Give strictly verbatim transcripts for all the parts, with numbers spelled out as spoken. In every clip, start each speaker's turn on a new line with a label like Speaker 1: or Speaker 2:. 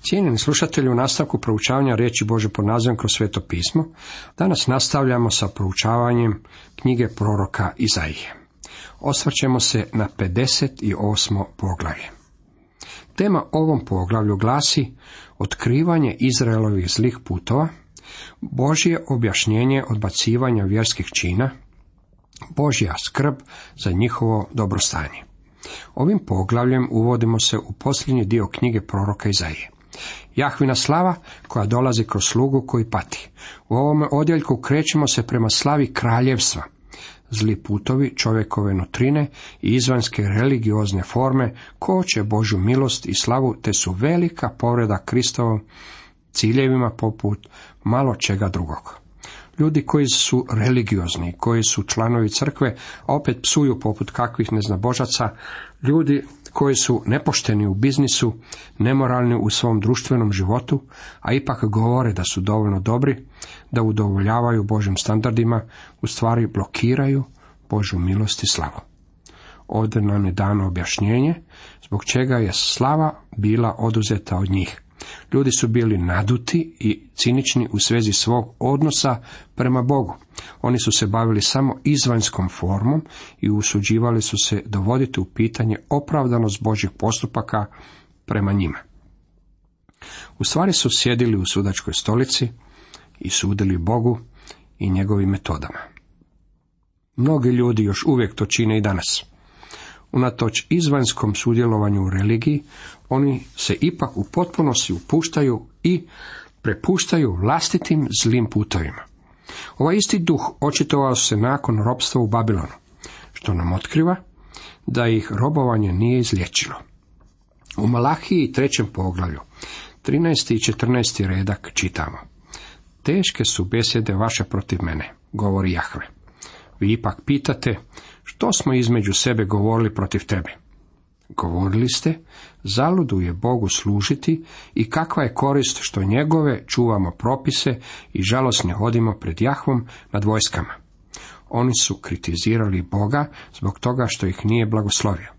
Speaker 1: Cijenjeni slušatelji, u nastavku proučavanja riječi Božje pod nazivom Kroz sveto pismo, danas nastavljamo sa proučavanjem knjige proroka Izaije. Osvrćemo se na pedeset osmo poglavlje. Tema ovom poglavlju glasi otkrivanje Izraelovih zlih putova, Božje objašnjenje odbacivanja vjerskih čina, Božja skrb za njihovo dobrostanje. Ovim poglavljem uvodimo se u posljednji dio knjige proroka Izaije. Jahvina slava koja dolazi kroz slugu koji pati. U ovome odjeljku krećemo se prema slavi kraljevstva. Zli putovi čovjekove nutrine i izvanjske religiozne forme koče Božju milost i slavu, te su velika povreda Kristovom ciljevima poput malo čega drugog. Ljudi koji su religiozni, koji su članovi crkve, a opet psuju poput kakvih neznabožaca, ljudi koji su nepošteni u biznisu, nemoralni u svom društvenom životu, a ipak govore da su dovoljno dobri, da udovoljavaju Božjim standardima, u stvari blokiraju Božju milost i slavu. Ovdje nam je dano objašnjenje zbog čega je slava bila oduzeta od njih. Ljudi su bili naduti i cinični u svezi svog odnosa prema Bogu. Oni su se bavili samo izvanjskom formom i usuđivali su se dovoditi u pitanje opravdanost Božjih postupaka prema njima. U stvari su sjedili u sudačkoj stolici i sudili Bogu i njegovim metodama. Mnogi ljudi još uvijek to čine i danas. Unatoč izvanjskom sudjelovanju u religiji, oni se ipak u potpunosti upuštaju i prepuštaju vlastitim zlim putovima. Ovaj isti duh očitovao se nakon ropstva u Babilonu, što nam otkriva da ih robovanje nije izliječilo. U Malahiji trećem poglavlju, trinaesti i četrnaesti redak čitamo: Teške su besjede vaše protiv mene, govori Jahve. Vi ipak pitate, što smo između sebe govorili protiv tebe? Govorili ste, zaludu je Bogu služiti i kakva je korist što njegove čuvamo propise i žalosne hodimo pred Jahvom nad vojskama. Oni su kritizirali Boga zbog toga što ih nije blagoslovio.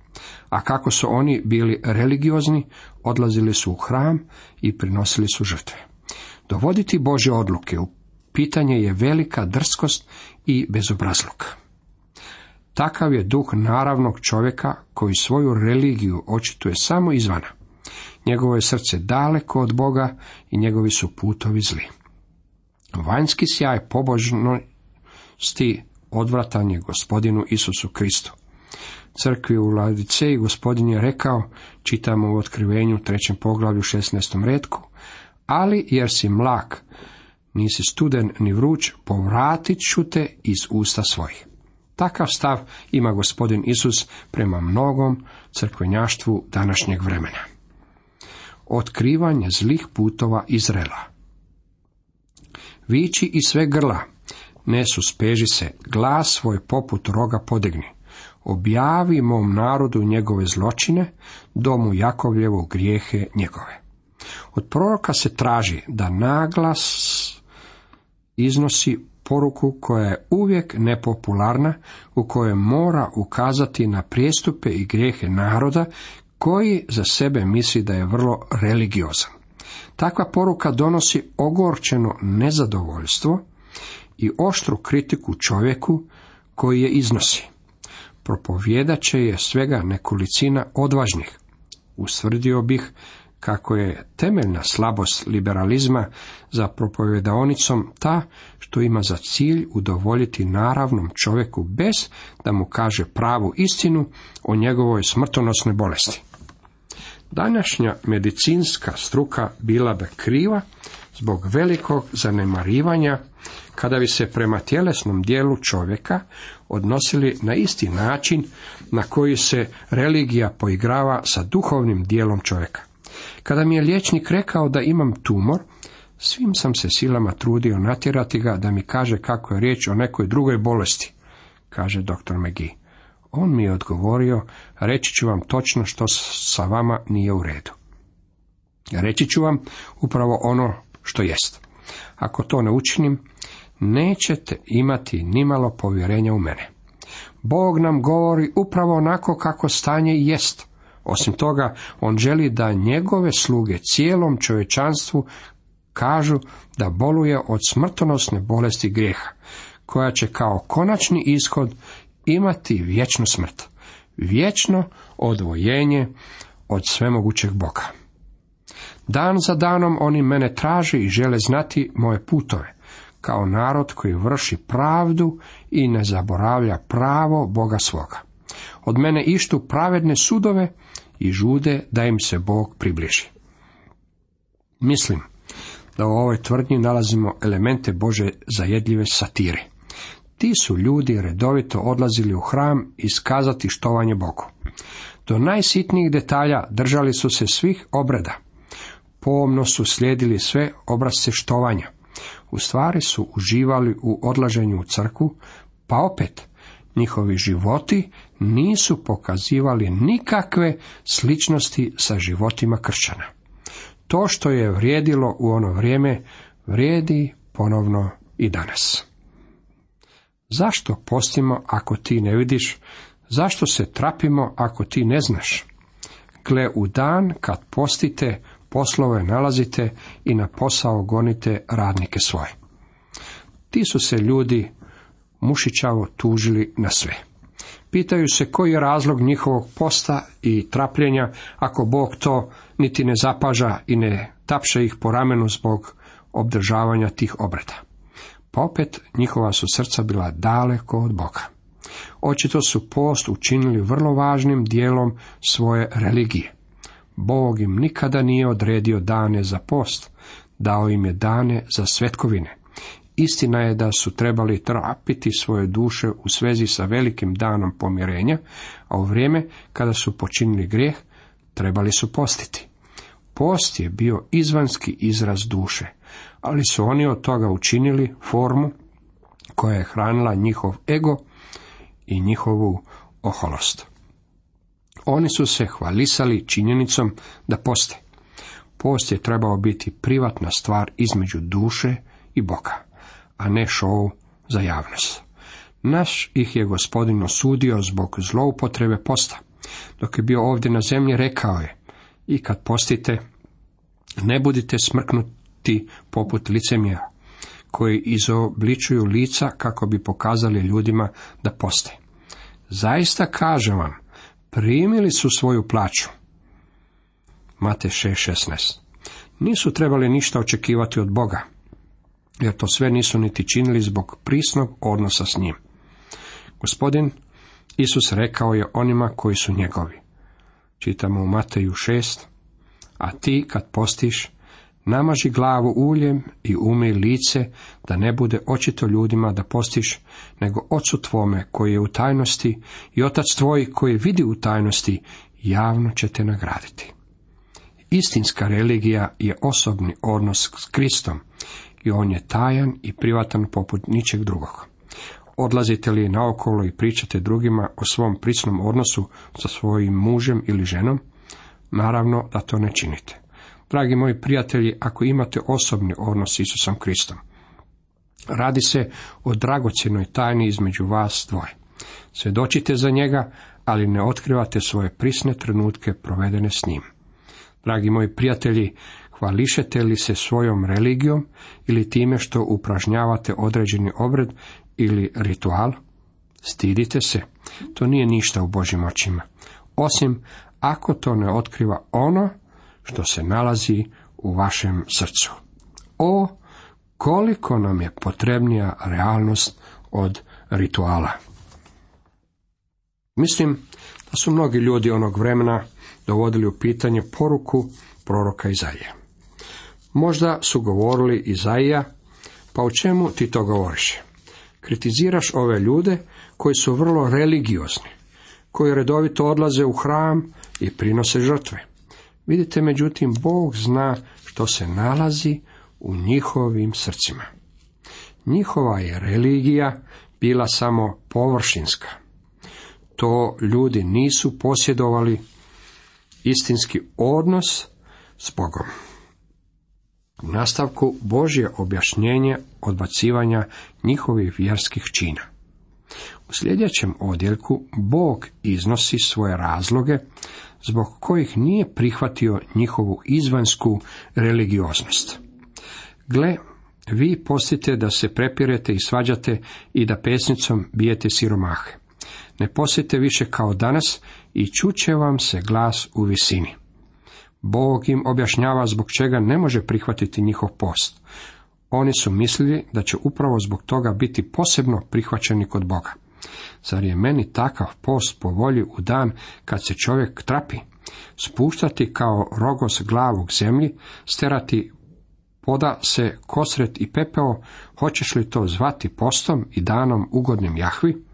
Speaker 1: A kako su oni bili religiozni, odlazili su u hram i prinosili su žrtve. Dovoditi Božje odluke u pitanje je velika drskost i bezobrazluk. Takav je duh naravnog čovjeka koji svoju religiju očituje samo izvana. Njegovo je srce daleko od Boga i njegovi su putovi zli. Vanjski sjaj pobožnosti odvratan je Gospodinu Isusu Kristu. Crkvi u Laodiceji Gospodin je rekao, čitamo u Otkrivenju trećem poglavlju šesnaestom retku, ali jer si mlak, nisi studen ni vruć, povratit ću te iz usta svojih. Takav stav ima Gospodin Isus prema mnogom crkvenjaštvu današnjeg vremena. Otkrivanje zlih putova Izraela. Viči i sve grla, ne suspeži se, glas svoj poput roga podigni. Objavi mom narodu njegove zločine, domu Jakovljevu grijehe njegove. Od proroka se traži da naglas iznosi poruku koja je uvijek nepopularna, u kojoj mora ukazati na prijestupe i grijehe naroda koji za sebe misli da je vrlo religiozan. Takva poruka donosi ogorčeno nezadovoljstvo i oštru kritiku čovjeku koji je iznosi. Propovijedat će je svega nekolicina odvažnih. Ustvrdio bih kako je temeljna slabost liberalizma za propovjedaonicom ta što ima za cilj udovoljiti naravnom čovjeku bez da mu kaže pravu istinu o njegovoj smrtonosnoj bolesti. Današnja medicinska struka bila bi kriva zbog velikog zanemarivanja kada bi se prema tjelesnom dijelu čovjeka odnosili na isti način na koji se religija poigrava sa duhovnim dijelom čovjeka. Kada mi je liječnik rekao da imam tumor, svim sam se silama trudio natjerati ga da mi kaže kako je riječ o nekoj drugoj bolesti, kaže doktor McGee. On mi je odgovorio, reći ću vam točno što sa vama nije u redu. Reći ću vam upravo ono što jest. Ako to ne učinim, nećete imati nimalo povjerenja u mene. Bog nam govori upravo onako kako stanje jest. Osim toga, on želi da njegove sluge cijelom čovječanstvu kažu da boluje od smrtonosne bolesti grijeha, koja će kao konačni ishod imati vječnu smrt, vječno odvojenje od svemogućeg Boga. Dan za danom oni mene traže i žele znati moje putove, kao narod koji vrši pravdu i ne zaboravlja pravo Boga svoga. Od mene ištu pravedne sudove i žude da im se Bog približi. Mislim da u ovoj tvrdnji nalazimo elemente Bože zajedljive satire. Ti su ljudi redovito odlazili u hram iskazati štovanje Bogu. Do najsitnijih detalja držali su se svih obreda. Pomno su slijedili sve obrasce štovanja. U stvari su uživali u odlaženju u crkvu, pa opet njihovi životi nisu pokazivali nikakve sličnosti sa životima kršćana. To što je vrijedilo u ono vrijeme, vrijedi ponovno i danas. Zašto postimo ako ti ne vidiš? Zašto se trapimo ako ti ne znaš? Gle, u dan kad postite, poslove nalazite i na posao gonite radnike svoje. Ti su se ljudi mušićavo tužili na sve. Pitaju se koji je razlog njihovog posta i trapljenja, ako Bog to niti ne zapaža i ne tapše ih po ramenu zbog obdržavanja tih obreda. Pa opet njihova su srca bila daleko od Boga. Očito su post učinili vrlo važnim dijelom svoje religije. Bog im nikada nije odredio dane za post, dao im je dane za svetkovine. Istina je da su trebali trapiti svoje duše u svezi sa velikim danom pomirenja, a u vrijeme kada su počinili grijeh, trebali su postiti. Post je bio izvanski izraz duše, ali su oni od toga učinili formu koja je hranila njihov ego i njihovu oholost. Oni su se hvalisali činjenicom da poste. Post je trebao biti privatna stvar između duše i Boga, a ne šou za javnost. Naš ih je Gospodin osudio zbog zloupotrebe posta. Dok je bio ovdje na zemlji, rekao je: i kad postite, ne budite smrknuti poput licemjera, koji izobličuju lica kako bi pokazali ljudima da poste. Zaista kažem vam, primili su svoju plaću. Matej šest šesnaest. Nisu trebali ništa očekivati od Boga, jer to sve nisu niti činili zbog prisnog odnosa s njim. Gospodin Isus rekao je onima koji su njegovi. Čitamo u Mateju šest, a ti kad postiš, namaži glavu uljem i umij lice, da ne bude očito ljudima da postiš, nego Ocu tvome koji je u tajnosti, i Otac tvoj koji vidi u tajnosti, javno će te nagraditi. Istinska religija je osobni odnos s Kristom, i on je tajan i privatan poput ničeg drugog. Odlazite li naokolo i pričate drugima o svom prisnom odnosu sa svojim mužem ili ženom? Naravno da to ne činite. Dragi moji prijatelji, ako imate osobni odnos s Isusom Kristom, radi se o dragocjenoj tajni između vas dvoje. Svjedočite za njega, ali ne otkrivate svoje prisne trenutke provedene s njim. Dragi moji prijatelji, hvališete li se svojom religijom ili time što upražnjavate određeni obred ili ritual? Stidite se, to nije ništa u Božjim očima, osim ako to ne otkriva ono što se nalazi u vašem srcu. O, koliko nam je potrebnija realnost od rituala. Mislim da su mnogi ljudi onog vremena dovodili u pitanje poruku proroka Izaije. Možda su govorili: Izaija, pa o čemu ti to govoriš? Kritiziraš ove ljude koji su vrlo religiozni, koji redovito odlaze u hram i prinose žrtve. Vidite, međutim, Bog zna što se nalazi u njihovim srcima. Njihova je religija bila samo površinska. To ljudi nisu posjedovali istinski odnos s Bogom. U nastavku Božje objašnjenje odbacivanja njihovih vjerskih čina. U sljedećem odjeljku Bog iznosi svoje razloge zbog kojih nije prihvatio njihovu izvansku religioznost. Gle, vi postite da se prepirete i svađate i da pesnicom bijete siromahe. Ne postite više kao danas i čuće vam se glas u visini. Bog im objašnjava zbog čega ne može prihvatiti njihov post. Oni su mislili da će upravo zbog toga biti posebno prihvaćeni kod Boga. Zar je meni takav post po volji u dan kad se čovjek trapi? Spuštati kao rogos glavu k zemlji, sterati poda se kosret i pepeo, hoćeš li to zvati postom i danom ugodnim Jahvi?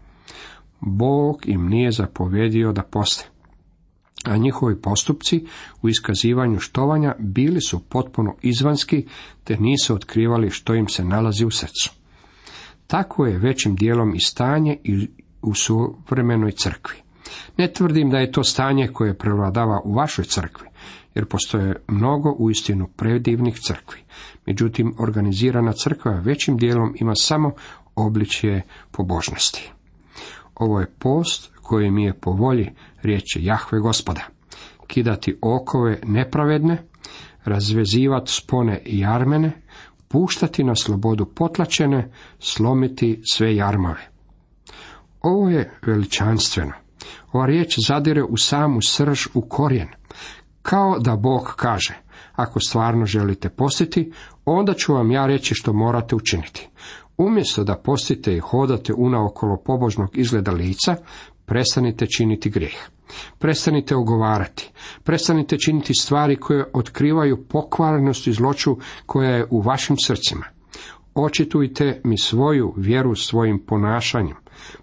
Speaker 1: Bog im nije zapovjedio da poste, a njihovi postupci u iskazivanju štovanja bili su potpuno izvanski, te nisu otkrivali što im se nalazi u srcu. Tako je većim dijelom i stanje i u suvremenoj crkvi. Ne tvrdim da je to stanje koje prevladava u vašoj crkvi, jer postoje mnogo uistinu predivnih crkvi. Međutim, organizirana crkva većim dijelom ima samo obličje pobožnosti. Ovo je post koji mi je po volji, riječ je Jahve Gospoda. Kidati okove nepravedne, razvezivati spone i jarmene, puštati na slobodu potlačene, slomiti sve jarmave. Ovo je veličanstveno. Ova riječ zadire u samu srž, u korijen. Kao da Bog kaže, ako stvarno želite postiti, onda ću vam ja reći što morate učiniti. Umjesto da postite i hodate unaokolo pobožnog izgleda lica, prestanite činiti grijeh. Prestanite ogovarati. Prestanite činiti stvari koje otkrivaju pokvarenost i zloću koja je u vašim srcima. Očitujte mi svoju vjeru svojim ponašanjem.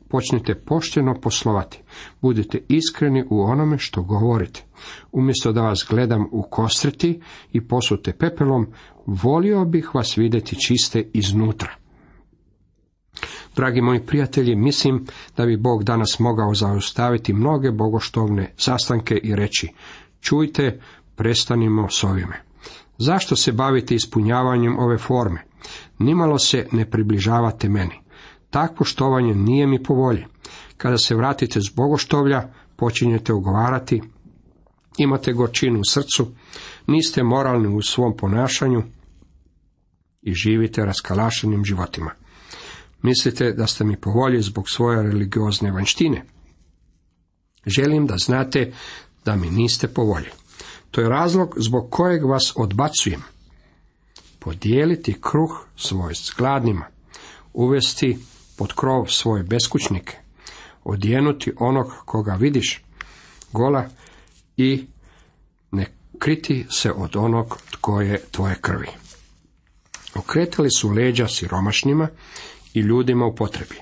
Speaker 1: Počnite pošteno poslovati. Budite iskreni u onome što govorite. Umjesto da vas gledam u kostreti i posute pepelom, volio bih vas vidjeti čiste iznutra. Dragi moji prijatelji, mislim da bi Bog danas mogao zaustaviti mnoge bogoštovne sastanke i reći, čujte, prestanimo s ovime. Zašto se bavite ispunjavanjem ove forme? Nimalo se ne približavate meni. Takvo štovanje nije mi po volji. Kada se vratite s bogoštovlja, počinjete ugovarati, imate gorčinu u srcu, niste moralni u svom ponašanju i živite raskalašenim životima. Mislite da ste mi po volji zbog svoje religiozne vanjštine? Želim da znate da mi niste po volji. To je razlog zbog kojeg vas odbacujem. Podijeliti kruh svoj s gladnima, uvesti pod krov svoje beskućnike, odjenuti onog koga vidiš gola i ne kriti se od onog tko je tvoje krvi. Okretali su leđa siromašnima i ljudima u potrebi.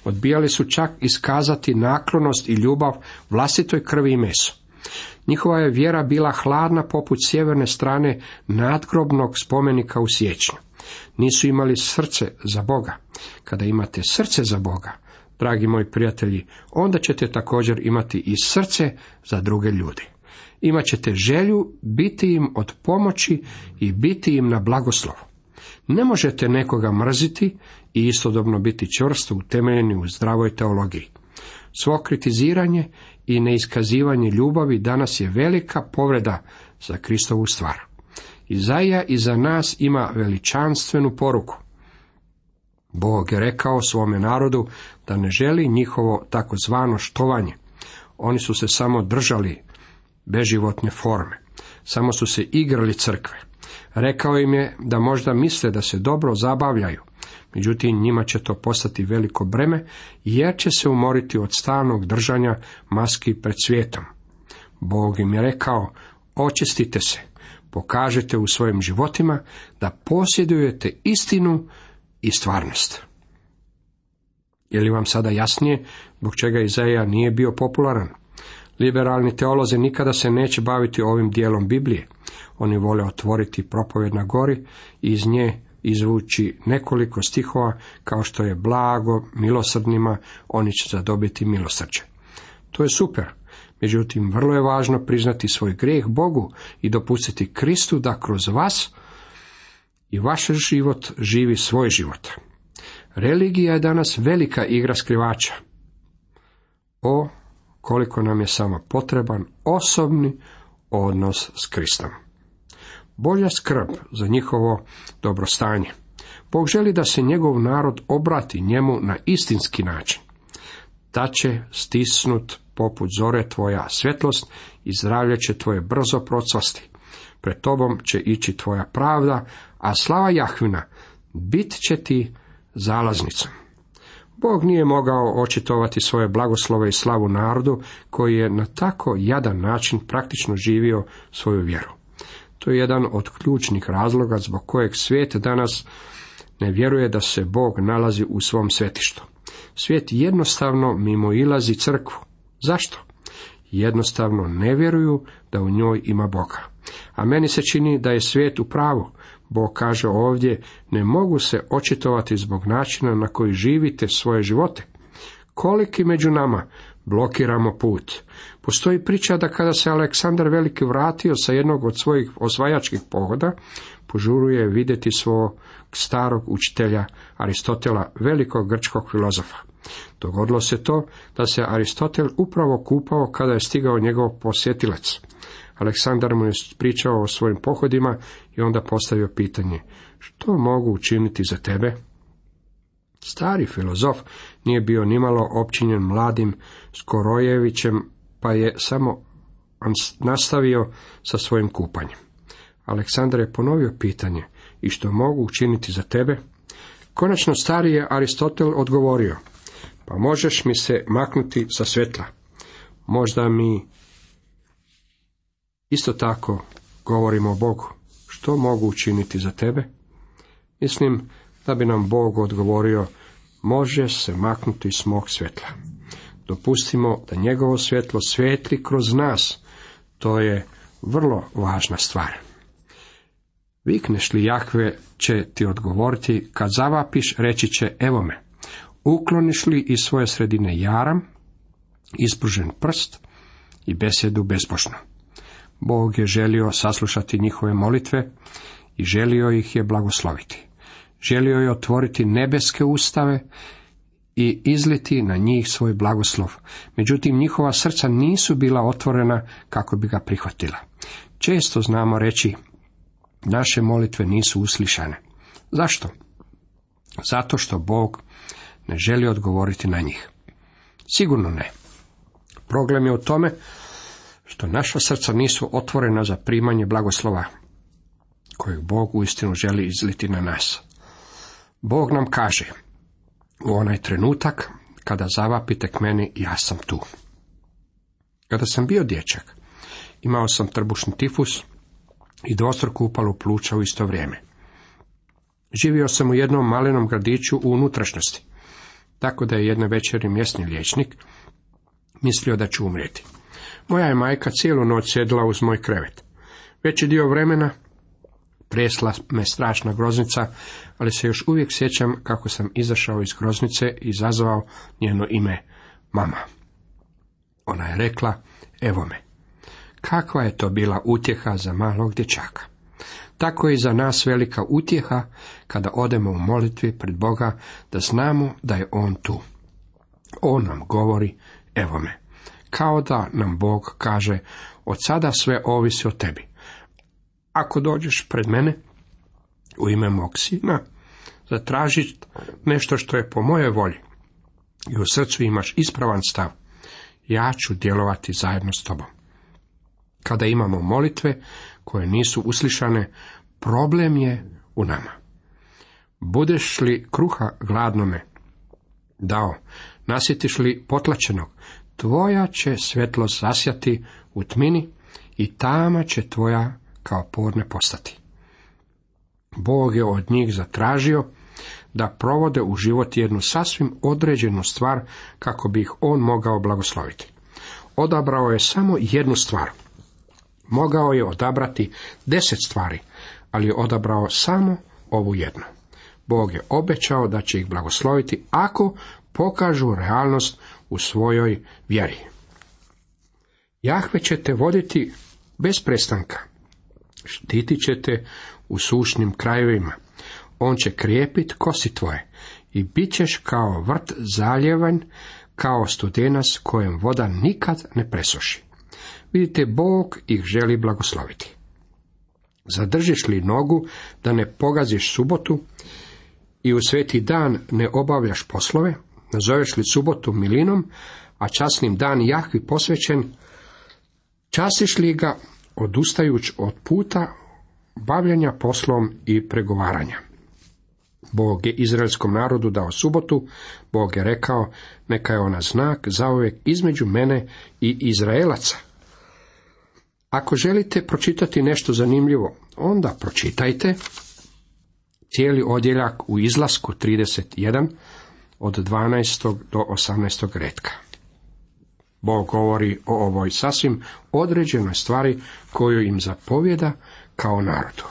Speaker 1: Odbijali su čak iskazati naklonost i ljubav vlastitoj krvi i mesu. Njihova je vjera bila hladna poput sjeverne strane nadgrobnog spomenika u siječnju. Nisu imali srce za Boga. Kada imate srce za Boga, dragi moji prijatelji, onda ćete također imati i srce za druge ljude. Imaćete želju biti im od pomoći i biti im na blagoslov. Ne možete nekoga mrziti i istodobno biti čvrsto utemeljeni u zdravoj teologiji. Svo kritiziranje i neiskazivanje ljubavi danas je velika povreda za Kristovu stvar. Izaija iza nas ima veličanstvenu poruku. Bog je rekao svome narodu da ne želi njihovo takozvano štovanje. Oni su se samo držali beživotne forme. Samo su se igrali crkve. Rekao im je da možda misle da se dobro zabavljaju. Međutim, njima će to postati veliko breme, jer će se umoriti od stalnog držanja maski pred svijetom. Bog im je rekao, očistite se, pokažite u svojim životima da posjedujete istinu i stvarnost. Je li vam sada jasnije zbog čega Izaija nije bio popularan? Liberalni teolozi nikada se neće baviti ovim dijelom Biblije. Oni vole otvoriti propovjed na gori i iz nje izvući nekoliko stihova kao što je blago milosrdnima, oni će zadobiti milosrđe. To je super. Međutim, vrlo je važno priznati svoj grijeh Bogu i dopustiti Kristu da kroz vas i vaš život živi svoj život. Religija je danas velika igra skrivača. O, koliko nam je samo potreban osobni odnos s Kristom. Božja skrb za njihovo dobrostanje. Bog želi da se njegov narod obrati njemu na istinski način. Da će stisnut poput zore tvoja svjetlost i zdravlje će tvoje brzo procvasti. Pred tobom će ići tvoja pravda, a slava Jahvina bit će ti zalaznicom. Bog nije mogao očitovati svoje blagoslove i slavu narodu koji je na tako jadan način praktično živio svoju vjeru. To je jedan od ključnih razloga zbog kojeg svijet danas ne vjeruje da se Bog nalazi u svom svetištu. Svijet jednostavno mimoilazi crkvu. Zašto? Jednostavno ne vjeruju da u njoj ima Boga. A meni se čini da je svijet u pravu. Bog kaže ovdje, ne mogu se očitovati zbog načina na koji živite svoje živote. Koliki među nama blokiramo put. Postoji priča da kada se Aleksandar Veliki vratio sa jednog od svojih osvajačkih pohoda, požuruje vidjeti svog starog učitelja Aristotela, velikog grčkog filozofa. Dogodilo se to da se Aristotel upravo kupao kada je stigao njegov posjetilac. Aleksandar mu je pričao o svojim pohodima i onda postavio pitanje, što mogu učiniti za tebe? Stari filozof nije bio nimalo opčinjen mladim Skorojevićem, pa je samo nastavio sa svojim kupanjem. Aleksandar je ponovio pitanje, i što mogu učiniti za tebe? Konačno stari je Aristotel odgovorio, pa možeš mi se maknuti sa svjetla. Možda mi isto tako govorimo o Bogu. Što mogu učiniti za tebe? Mislim da bi nam Bog odgovorio, može se maknuti s mog svjetla. Dopustimo da njegovo svjetlo svijetli kroz nas. To je vrlo važna stvar. Vikneš li Jahve, će ti odgovoriti, kad zavapiš, reći će, evo me. Ukloniš li iz svoje sredine jaram, ispružen prst i besjedu bezbožnu. Bog je želio saslušati njihove molitve i želio ih je blagosloviti. Želio je otvoriti nebeske ustave i izliti na njih svoj blagoslov. Međutim, njihova srca nisu bila otvorena kako bi ga prihvatila. Često znamo reći, naše molitve nisu uslišane. Zašto? Zato što Bog ne želi odgovoriti na njih. Sigurno ne. Problem je u tome što naša srca nisu otvorena za primanje blagoslova kojeg Bog uistinu želi izliti na nas. Bog nam kaže, u onaj trenutak kada zavapite k meni, ja sam tu. Kada sam bio dječak, imao sam trbušni tifus i dvostruku upalu pluća u isto vrijeme. Živio sam u jednom malenom gradiću u unutrašnjosti, tako da je jedne večeri mjesni liječnik mislio da ću umrijeti. Moja je majka cijelu noć sjedila uz moj krevet. Veći dio vremena tresla me strašna groznica, ali se još uvijek sjećam kako sam izašao iz groznice i zazvao njeno ime mama. Ona je rekla, evo me. Kakva je to bila utjeha za malog dječaka. Tako je i za nas velika utjeha kada odemo u molitvi pred Boga, da znamo da je On tu. On nam govori, evo me. Kao da nam Bog kaže, od sada sve ovisi o tebi. Ako dođeš pred mene, u ime mog sina, zatraži nešto što je po mojoj volji i u srcu imaš ispravan stav, ja ću djelovati zajedno s tobom. Kada imamo molitve koje nisu uslišane, problem je u nama. Budeš li kruha gladnome dao, nasjetiš li potlačenog, tvoja će svjetlost zasjati u tmini i tama će tvoja kao podne postati. Bog je od njih zatražio da provode u život jednu sasvim određenu stvar kako bi ih on mogao blagosloviti. Odabrao je samo jednu stvar. Mogao je odabrati deset stvari, ali je odabrao samo ovu jednu. Bog je obećao da će ih blagosloviti ako pokažu realnost u svojoj vjeri. Jahve će te voditi bez prestanka. Štitit će te u sušnim krajevima. On će krijepit kosi tvoje i bit ćeš kao vrt zaljevan kao studenac kojem voda nikad ne presuši. Vidite, Bog ih želi blagosloviti. Zadržiš li nogu da ne pogaziš subotu i u sveti dan ne obavljaš poslove, nazoveš li subotu milinom, a časnim dan Jahvi posvećen, častiš li ga odustajuć od puta bavljenja poslom i pregovaranja. Bog je izraelskom narodu dao subotu, Bog je rekao, neka je ona znak zauvijek između mene i Izraelaca. Ako želite pročitati nešto zanimljivo, onda pročitajte cijeli odjeljak u Izlasku trideset jedan od dvanaestog do osamnaestog retka. Bog govori o ovoj sasvim određenoj stvari koju im zapovjeda kao narodu.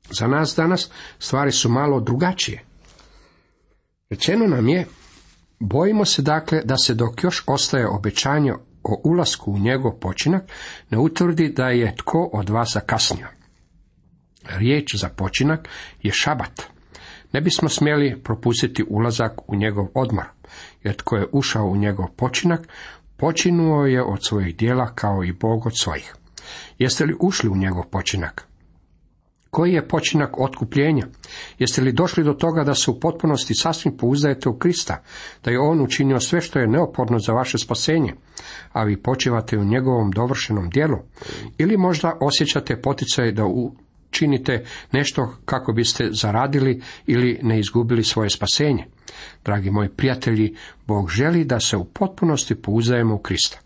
Speaker 1: Za nas danas stvari su malo drugačije. Rečeno nam je, bojimo se dakle da se dok još ostaje obećanje o ulasku u njegov počinak, ne utvrdi da je tko od vas zakasnio. Riječ za počinak je šabat. Ne bismo smjeli propustiti ulazak u njegov odmor, jer tko je ušao u njegov počinak, počinuo je od svojih djela kao i Bog od svojih. Jeste li ušli u njegov počinak? Koji je počinak otkupljenja? Jeste li došli do toga da se u potpunosti sasvim pouzdajete u Krista, da je On učinio sve što je neophodno za vaše spasenje, a vi počivate u njegovom dovršenom djelu? Ili možda osjećate poticaj da učinite nešto kako biste zaradili ili ne izgubili svoje spasenje? Dragi moji prijatelji, Bog želi da se u potpunosti pouzdajemo u Krista.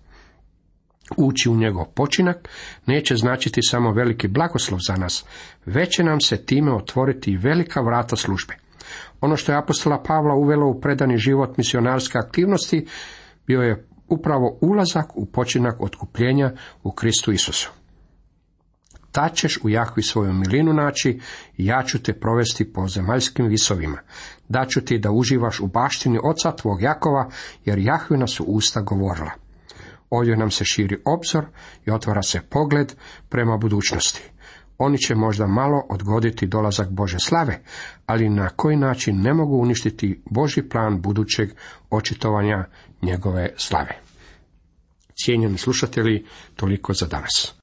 Speaker 1: Ući u njegov počinak neće značiti samo veliki blagoslov za nas, već će nam se time otvoriti i velika vrata službe. Ono što je apostola Pavla uvelo u predani život misionarske aktivnosti bio je upravo ulazak u počinak otkupljenja u Kristu Isusu. Tad ćeš u Jahvi svoju milinu naći i ja ću te provesti po zemaljskim visovima. Daću ti da uživaš u baštini oca tvog Jakova, jer Jahvina su usta govorila. Ovdje nam se širi obzor i otvara se pogled prema budućnosti. Oni će možda malo odgoditi dolazak Bože slave, ali na koji način ne mogu uništiti Božji plan budućeg očitovanja njegove slave. Cijenjeni slušatelji, toliko za danas.